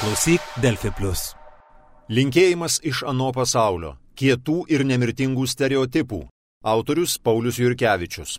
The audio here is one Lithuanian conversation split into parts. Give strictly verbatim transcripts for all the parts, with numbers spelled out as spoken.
Klausyk Delfi Plus. Linkėjimas iš ano pasaulio. Kietų ir nemirtingų stereotipų. Autorius Paulius Jurkevičius.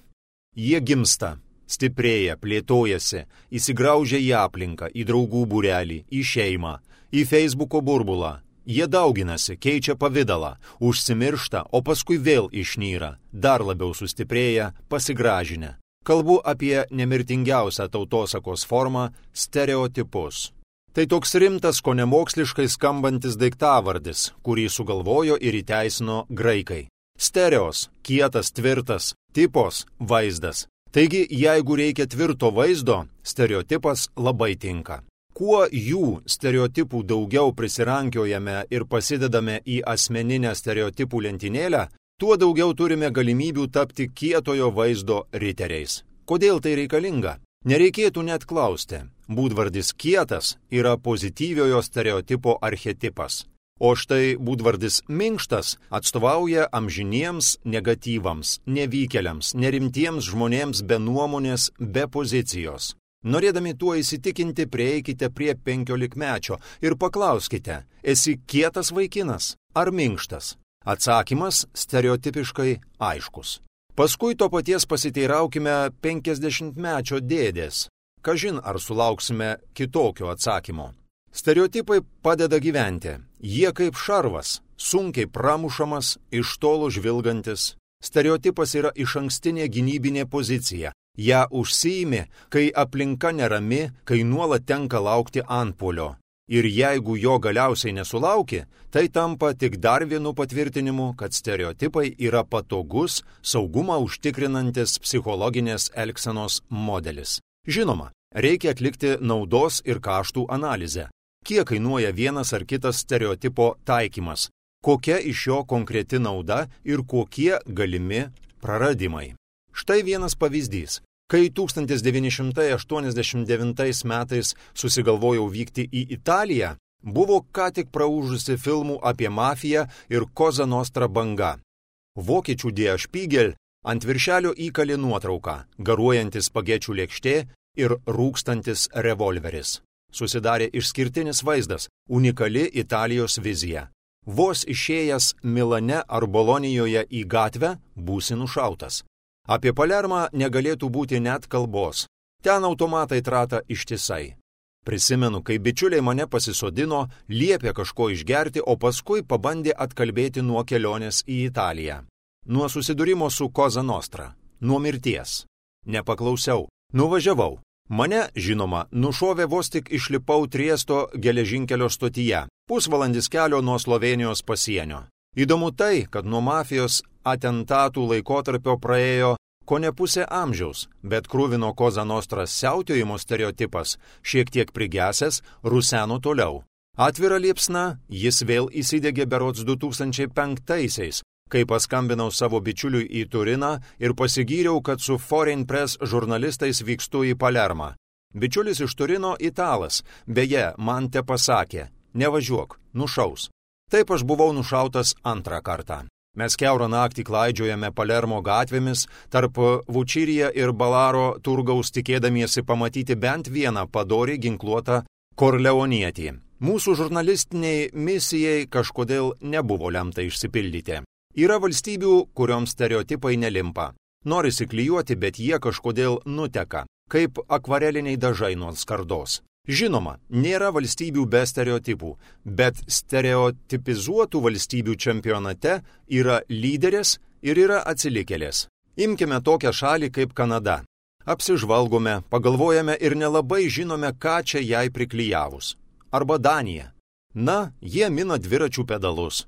Jie gimsta, stiprėja, plėtojasi, įsigraužia į aplinką, į draugų būrelį, į šeimą, į Facebooko burbulą. Jie dauginasi, keičia pavidalą, užsimiršta, o paskui vėl išnyra, dar labiau sustiprėja, pasigražinę. Kalbu apie nemirtingiausią tautosakos formą – stereotipus. Tai toks rimtas, ko nemoksliškai skambantis daiktavardis, kurį sugalvojo ir įteisino graikai. Stereos – kietas, tvirtas, tipos – vaizdas. Taigi, jeigu reikia tvirto vaizdo, stereotipas labai tinka. Kuo jų stereotipų daugiau prisirankiojame ir pasidedame į asmeninę stereotipų lentynėlę, tuo daugiau turime galimybių tapti kietojo vaizdo riteriais. Kodėl tai reikalinga? Nereikėtų net klausti. Būdvardis kietas yra pozityviojo stereotipo archetipas. O štai būdvardis minkštas atstovauja amžiniems negatyvams, nevykėliams, nerimtiems žmonėms be nuomonės, be pozicijos. Norėdami tuo įsitikinti, prieikite prie penkiolikmečio ir paklauskite, esi kietas vaikinas ar minkštas? Atsakymas stereotipiškai aiškus. Paskui to paties pasiteiraukime penkiasdešimtmečio dėdės. Kažin ar sulauksime kitokio atsakymo. Stereotipai padeda gyventi. Jie kaip šarvas, sunkiai pramušamas, iš tolo žvilgantis. Stereotipas yra išankstinė gynybinė pozicija. Ja užsiimi, kai aplinka nerami, kai nuolat tenka laukti antpuolio. Ir jeigu jo galiausiai nesulauki, tai tampa tik dar vienu patvirtinimu, kad stereotipai yra patogus, saugumą užtikrinantis psichologinės elgsenos modelis. Žinoma, reikia atlikti naudos ir kaštų analizę. Kiek kainuoja vienas ar kitas stereotipo taikymas? Kokia iš jo konkreti nauda ir kokie galimi praradimai? Štai vienas pavyzdys. Kai tūkstantis devyni šimtai aštuoniasdešimt devintais metais susigalvojau vykti į Italiją, buvo ką tik praūžusi filmų apie mafiją ir Cosa Nostra banga. Vokiečių Der Spiegel ant viršelio įkalė nuotrauką, garuojantis spagečių lėkštė ir rūkstantis revolveris. Susidarė išskirtinis vaizdas, unikali Italijos vizija. Vos išėjęs Milane ar Bolonijoje į gatvę, būsi nušautas. Apie Palermą negalėtų būti net kalbos. Ten automatai trata ištisai. Prisimenu, kai bičiuliai mane pasisodino, liepė kažko išgerti, o paskui pabandė atkalbėti nuo kelionės į Italiją. Nuo susidūrimo su Cosa Nostra. Nuo mirties. Nepaklausiau. Nuvažiavau. Mane, žinoma, nušovė vos tik išlipau Triesto geležinkelio stotyje. Pusvalandis kelio nuo Slovėnijos pasienio. Įdomu tai, kad nuo mafijos atentatų laikotarpio praėjo kone pusė amžiaus, bet kruvino Cosa Nostra siautėjimo stereotipas, šiek tiek prigesęs, ruseno toliau. Atvira liepsna, jis vėl įsidegė berods du tūkstančiai penktaisiais, kai paskambinau savo bičiuliui į Turiną ir pasigyriau, kad su Foreign Press žurnalistais vykstu į Palermą. Bičiulis iš Turino italas, beje, man te pasakė, nevažiuok, nušaus. Taip aš buvau nušautas antrą kartą. Mes kiaurą naktį klaidžiojame Palermo gatvėmis, tarp Vučirija ir Balaro turgaus tikėdamiesi pamatyti bent vieną padorį ginkluotą korleonietį. Mūsų žurnalistiniai misijai kažkodėl nebuvo lemta išsipildyti. Yra valstybių, kurioms stereotipai nelimpa. Norisi klijuoti, bet jie kažkodėl nuteka, kaip akvareliniai dažai nuo skardos. Žinoma, nėra valstybių be stereotipų, bet stereotipizuotų valstybių čempionate yra lyderės ir yra atsilikėlės. Imkime tokią šalį kaip Kanada. Apsižvalgome, pagalvojame ir nelabai žinome, ką čia jai priklijavus. Arba Danija. Na, jie mina dviračių pedalus.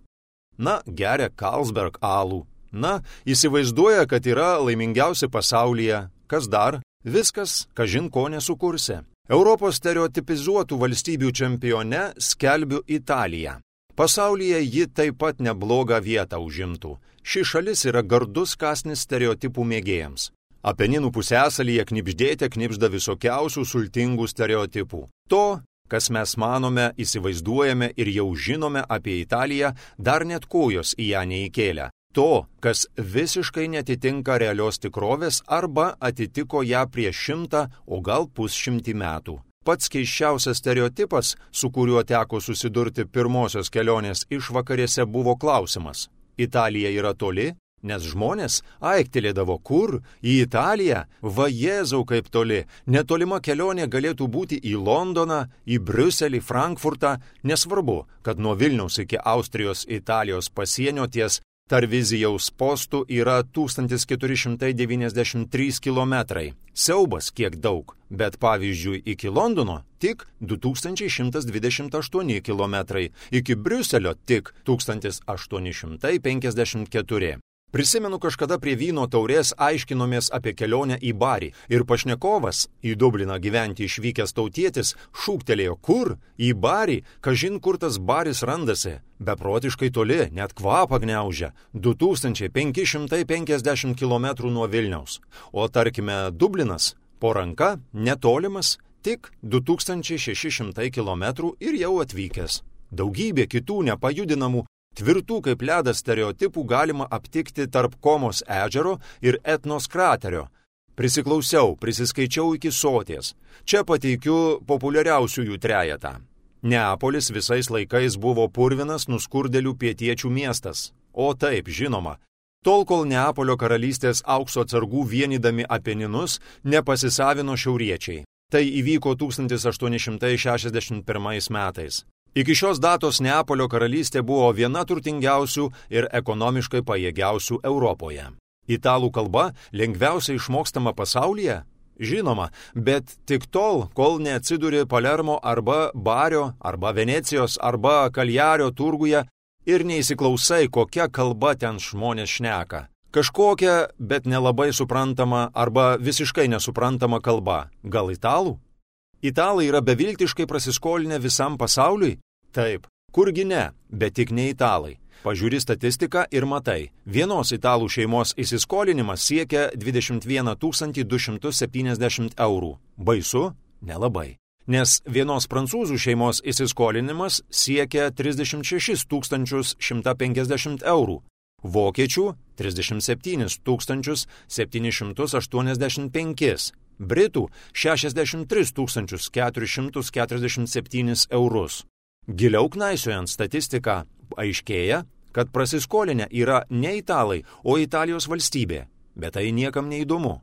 Na, geria Carlsberg alų. Na, įsivaizduoja, kad yra laimingiausi pasaulyje. Kas dar? Viskas, kažin ko nesukursi. Europos stereotipizuotų valstybių čempione skelbiu Italiją. Pasaulyje ji taip pat neblogą vietą užimtų. Ši šalis yra gardus kąsnis stereotipų mėgėjams. Apeninų pusiasalyje knibždėte knibžda visokiausių sultingų stereotipų. To, kas mes manome, įsivaizduojame ir jau žinome apie Italiją, dar net kojos į ją neįkėlę. To, kas visiškai netitinka realios tikrovės arba atitiko ją prieš šimtą, o gal pusšimtį metų. Pats keisčiausias stereotipas, su kuriuo teko susidurti pirmosios kelionės išvakarėse, buvo klausimas: Italija yra toli? Nes žmonės aiktelėdavo, kur? Į Italiją? Va Jėzau, kaip toli! Netolima kelionė galėtų būti į Londoną, į Briuselį, Frankfurtą. Nesvarbu, kad nuo Vilniaus iki Austrijos Italijos pasienio ties Tarvizijaus postų yra tūkstantis keturi šimtai devyniasdešimt trys kilometrai. Siaubas kiek daug, bet pavyzdžiui iki Londono tik du tūkstančiai šimtas dvidešimt aštuoni kilometrai, iki Briuselio tik tūkstantis aštuoni šimtai penkiasdešimt keturi. Prisimenu, kažkada prie vyno taurės aiškinomės apie kelionę į Barį ir pašnekovas, į Dubliną gyventi išvykęs tautietis, šūktelėjo: kur? Į Barį? Kažin kur tas Baris randasi? Beprotiškai toli, net kvapą gniaužia, du tūkstančiai penki šimtai penkiasdešimt kilometrų nuo Vilniaus. O tarkime Dublinas, po ranka, netolimas, tik du tūkstančiai šeši šimtai kilometrų ir jau atvykęs. Daugybė kitų nepajudinamų, tvirtų kaip ledas stereotipų galima aptikti tarp Komos ežero ir Etnos kraterio. Prisiklausiau, prisiskaičiau iki soties. Čia pateikiu populiariausiųjų trejetą. Neapolis visais laikais buvo purvinas nuskurdėlių pietiečių miestas. O taip, žinoma. Tol, kol Neapolio karalystės aukso atsargų vienydami Apeninus nepasisavino šiauriečiai. Tai įvyko tūkstantis aštuoni šimtai šešiasdešimt pirmais metais. Iki šios datos Neapolio karalystė buvo viena turtingiausių ir ekonomiškai pajėgiausių Europoje. Italų kalba lengviausiai išmokstama pasaulyje? Žinoma, bet tik tol, kol neatsiduri Palermo arba Bario, arba Venecijos, arba Kaljario turguje ir neįsiklausai, kokia kalba ten žmonės šneka. Kažkokia, bet nelabai suprantama arba visiškai nesuprantama kalba. Gal italų? Italai yra beviltiškai prasiskolinę visam pasauliui? Taip, kurgi ne, bet tik ne italai. Pažiūri statistiką ir matai, vienos italų šeimos įsiskolinimas siekia dvidešimt vieną tūkstantį du šimtus septyniasdešimt eurų. Baisu? Nelabai. Nes vienos prancūzų šeimos įsiskolinimas siekia trisdešimt šešis tūkstančius šimtą penkiasdešimt eurų. Vokiečių trisdešimt septynis tūkstančius septynis šimtus aštuoniasdešimt penkis. Britų šešiasdešimt tris tūkstančius keturis šimtus keturiasdešimt septynis eurus. Giliau knaisiojant statistiką, aiškėja, kad prasiskolinę yra ne italai, o Italijos valstybė. Bet tai niekam neįdomu.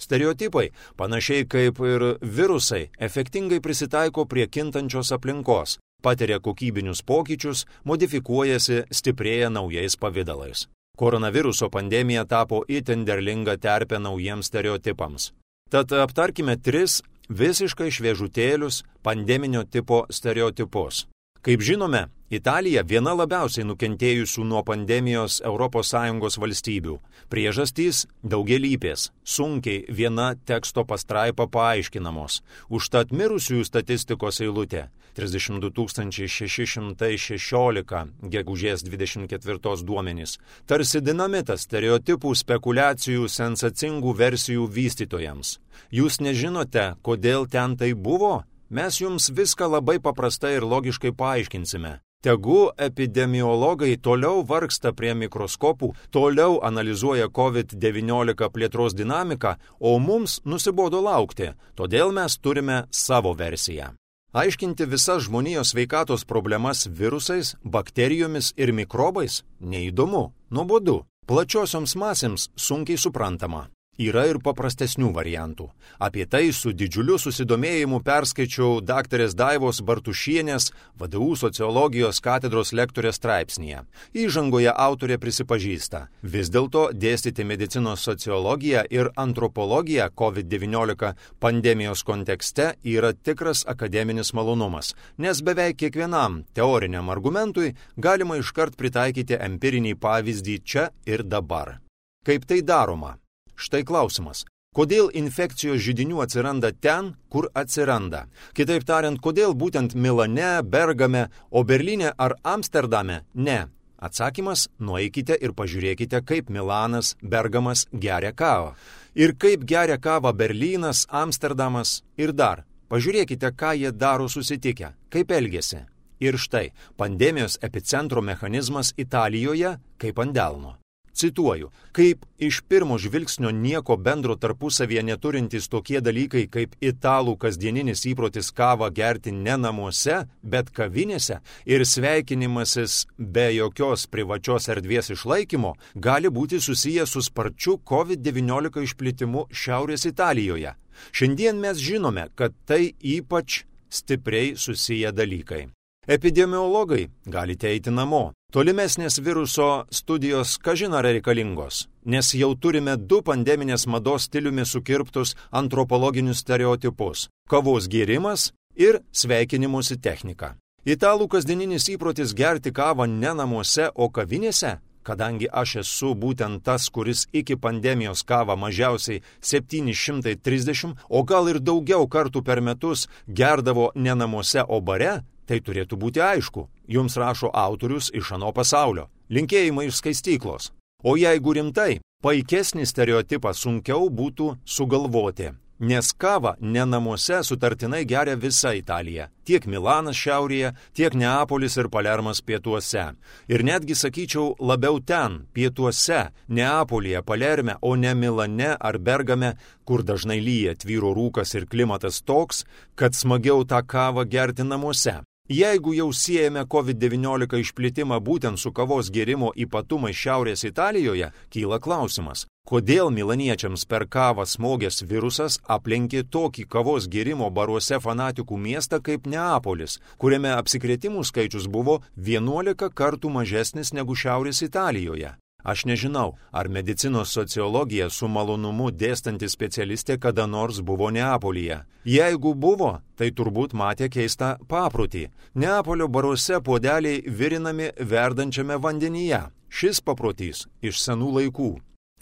Stereotipai, panašiai kaip ir virusai, efektingai prisitaiko prie kintančios aplinkos, patiria kokybinius pokyčius, modifikuojasi, stiprėja naujais pavidalais. Koronaviruso pandemija tapo itin derlinga terpė naujiems stereotipams. Tad aptarkime tris visiškai šviežutėlius pandeminio tipo stereotipus. Kaip žinome, Italija viena labiausiai nukentėjusių nuo pandemijos Europos Sąjungos valstybių. Priežastys daugialypės, sunkiai viena teksto pastraipa paaiškinamos. Užtat mirusiųjų statistikos eilutė trisdešimt du tūkstančiai šeši šimtai šešiolika gegužės dvidešimt ketvirtos duomenys. Tarsi dinamitas stereotipų, spekulacijų, sensacingų versijų vystytojams. Jūs nežinote, kodėl ten tai buvo? Mes jums viską labai paprastai ir logiškai paaiškinsime. Tegu epidemiologai toliau vargsta prie mikroskopų, toliau analizuoja kovid devyniolika plėtros dinamiką, o mums nusibodo laukti, todėl mes turime savo versiją. Aiškinti visas žmonijos sveikatos problemas virusais, bakterijomis ir mikrobais neįdomu, nuobodu, plačiosioms masėms sunkiai suprantama. Yra ir paprastesnių variantų. Apie tai su didžiuliu susidomėjimu perskaičiau daktarės Daivos Bartušienės V D U sociologijos katedros lektorės straipsnyje. Įžangoje autorė prisipažįsta, vis dėlto dėstyti medicinos sociologiją ir antropologiją kovid devyniolika pandemijos kontekste yra tikras akademinis malonumas, nes beveik kiekvienam teoriniam argumentui galima iškart pritaikyti empirinį pavyzdį čia ir dabar. Kaip tai daroma? Štai klausimas. Kodėl infekcijos židinių atsiranda ten, kur atsiranda? Kitaip tariant, kodėl būtent Milane, Bergame, o Berlyne ar Amsterdame? Ne. Atsakymas – nueikite ir pažiūrėkite, kaip Milanas, Bergamas geria kavą. Ir kaip geria kavą Berlynas, Amsterdamas ir dar. Pažiūrėkite, ką jie daro susitikę, kaip elgiasi. Ir štai, pandemijos epicentro mechanizmas Italijoje kaip ant delno. Cituoju, kaip iš pirmo žvilgsnio nieko bendro tarpusavyje neturintys tokie dalykai kaip italų kasdieninis įprotis kavą gerti ne namuose, bet kavinėse ir sveikinimasis be jokios privačios erdvės išlaikymo gali būti susijęs su sparčiu kovid devyniolika išplitimu Šiaurės Italijoje. Šiandien mes žinome, kad tai ypač stipriai susiję dalykai. Epidemiologai galite eiti namo. Tolimesnės viruso studijos kažin ar reikalingos, nes jau turime du pandeminės mados stiliumi sukirptus antropologinius stereotipus – kavos gėrimas ir sveikinimusi technika. Italų kasdieninis įprotis gerti kavą ne namuose, o kavinėse, kadangi aš esu būtent tas, kuris iki pandemijos kavą mažiausiai septyni šimtai trisdešimt, o gal ir daugiau kartų per metus gerdavo ne namuose, o bare, tai turėtų būti aišku, jums rašo autorius iš ano pasaulio. Linkėjimai iš skaistyklos. O jeigu rimtai, paikesnį stereotipą sunkiau būtų sugalvoti, nes kavą ne namuose sutartinai geria visa Italija, tiek Milanas šiaurėje, tiek Neapolis ir Palermas pietuose. Ir netgi sakyčiau labiau ten, pietuose, Neapolyje, Palerme, o ne Milane ar Bergame, kur dažnai lyja, tvyro rūkas ir klimatas toks, kad smagiau tą kavą gerti namuose. Jeigu jau siejame kovid devyniolika išplitimą būtent su kavos gėrimo ypatumai Šiaurės Italijoje, kyla klausimas, kodėl milaniečiams per kavą smogęs virusas aplenkė tokį kavos gėrimo baruose fanatikų miestą kaip Neapolis, kuriame apsikrėtimų skaičius buvo vienuolika kartų mažesnis negu Šiaurės Italijoje. Aš nežinau, ar medicinos sociologija su malonumu dėstanti specialistė kada nors buvo Neapolyje. Jeigu buvo, tai turbūt matė keistą paprotį. Neapolio baruose puodeliai virinami verdančiame vandenyje. Šis paprotys iš senų laikų,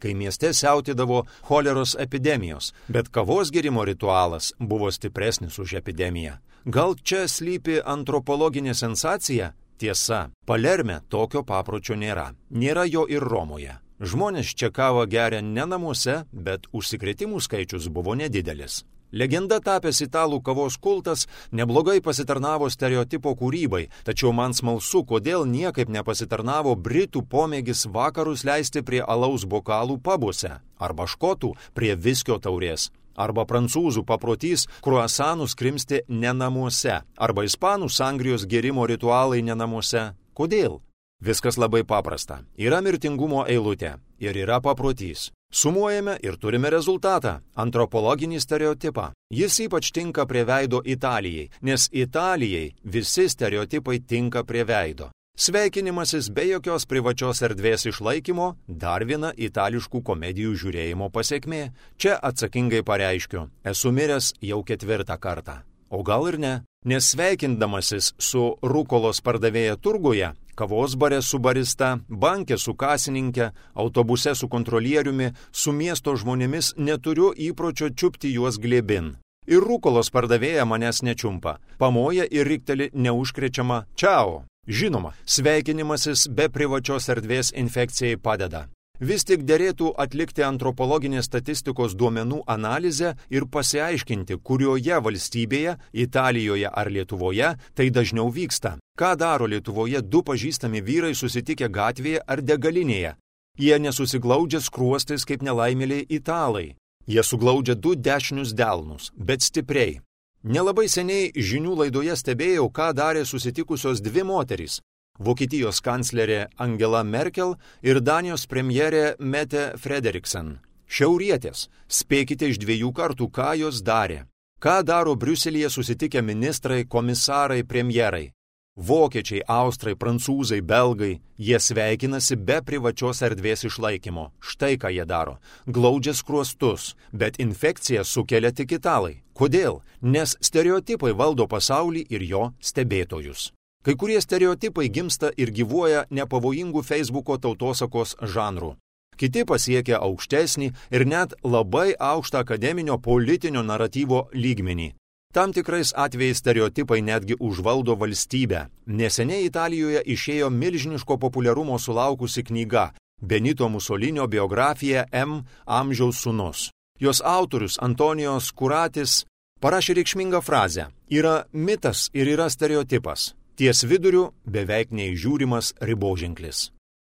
kai mieste siautėdavo choleros epidemijos, bet kavos gėrimo ritualas buvo stipresnis už epidemiją. Gal čia slypi antropologinė sensacija? Tiesa, Palerme tokio papročio nėra. Nėra jo ir Romoje. Žmonės čia kavą geria ne namuose, bet užsikrėtimų skaičius buvo nedidelis. Legenda tapęs italų kavos kultas neblogai pasitarnavo stereotipo kūrybai, tačiau man smalsu, kodėl niekaip nepasitarnavo britų pomėgis vakarus leisti prie alaus bokalų pabuose, arba škotų prie viskio taurės. Arba prancūzų paprotys kruasanus krimsti ne namuose, arba ispanų sangrijos gėrimo ritualai ne namuose. Kodėl? Viskas labai paprasta. Yra mirtingumo eilutė ir yra paprotys. Sumuojame ir turime rezultatą – antropologinį stereotipą. Jis ypač tinka prie veido Italijai, nes Italijai visi stereotipai tinka prie veido. Sveikinimasis be jokios privačios erdvės išlaikymo – dar viena itališkų komedijų žiūrėjimo pasekmė. Čia atsakingai pareiškiu, esu miręs jau ketvirtą kartą. O gal ir ne, nes sveikindamasis su rukolos pardavėja turguje, kavos bare su barista, banke su kasininkė, autobuse su kontrolieriumi, su miesto žmonėmis neturiu įpročio čiupti juos glėbin. Ir rukolos pardavėja manęs nečiumpa, pamoja ir rikteli neužkrečiama čiao. Žinoma, sveikinimasis be privačios erdvės infekcijai padeda. Vis tik derėtų atlikti antropologinės statistikos duomenų analizę ir pasiaiškinti, kurioje valstybėje, Italijoje ar Lietuvoje, tai dažniau vyksta. Ką daro Lietuvoje du pažįstami vyrai susitikę gatvėje ar degalinėje? Jie nesusiglaudžia skruostais kaip nelaimėliai italai. Jie suglaudžia du dešinius delnus, bet stipriai. Nelabai seniai žinių laidoje stebėjau, ką darė susitikusios dvi moterys – Vokietijos kanclerė Angela Merkel ir Danijos premjerė Mette Frederiksen. Šiaurietės, spėkite iš dviejų kartų, ką jos darė. Ką daro Briuselyje susitikę ministrai, komisarai, premjerai? Vokiečiai, austrai, prancūzai, belgai, jie sveikinasi be privačios erdvės išlaikymo. Štai ką jie daro. Glaudžia skruostus, bet infekciją sukelia tik italai. Kodėl? Nes stereotipai valdo pasaulį ir jo stebėtojus. Kai kurie stereotipai gimsta ir gyvuoja nepavojingų Facebooko tautosakos žanrų. Kiti pasiekia aukštesnį ir net labai aukštą akademinio politinio naratyvo lygmenį. Tam tikrais atvejais stereotipai netgi užvaldo valstybę. Neseniai Italijoje išėjo milžiniško populiarumo sulaukusi knyga Benito Musolinio biografija M. Amžiaus sūnus. Jos autorius Antonijos Kuratis parašė reikšmingą frazę: yra mitas ir yra stereotipas. Ties viduriu beveik neįžiūrimas riboženklis.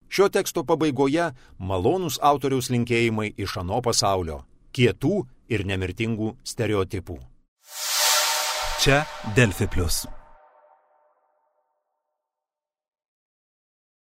Šio teksto pabaigoje malonūs autoriaus linkėjimai iš ano pasaulio, kietų ir nemirtingų stereotipų. Čia Delfi plius.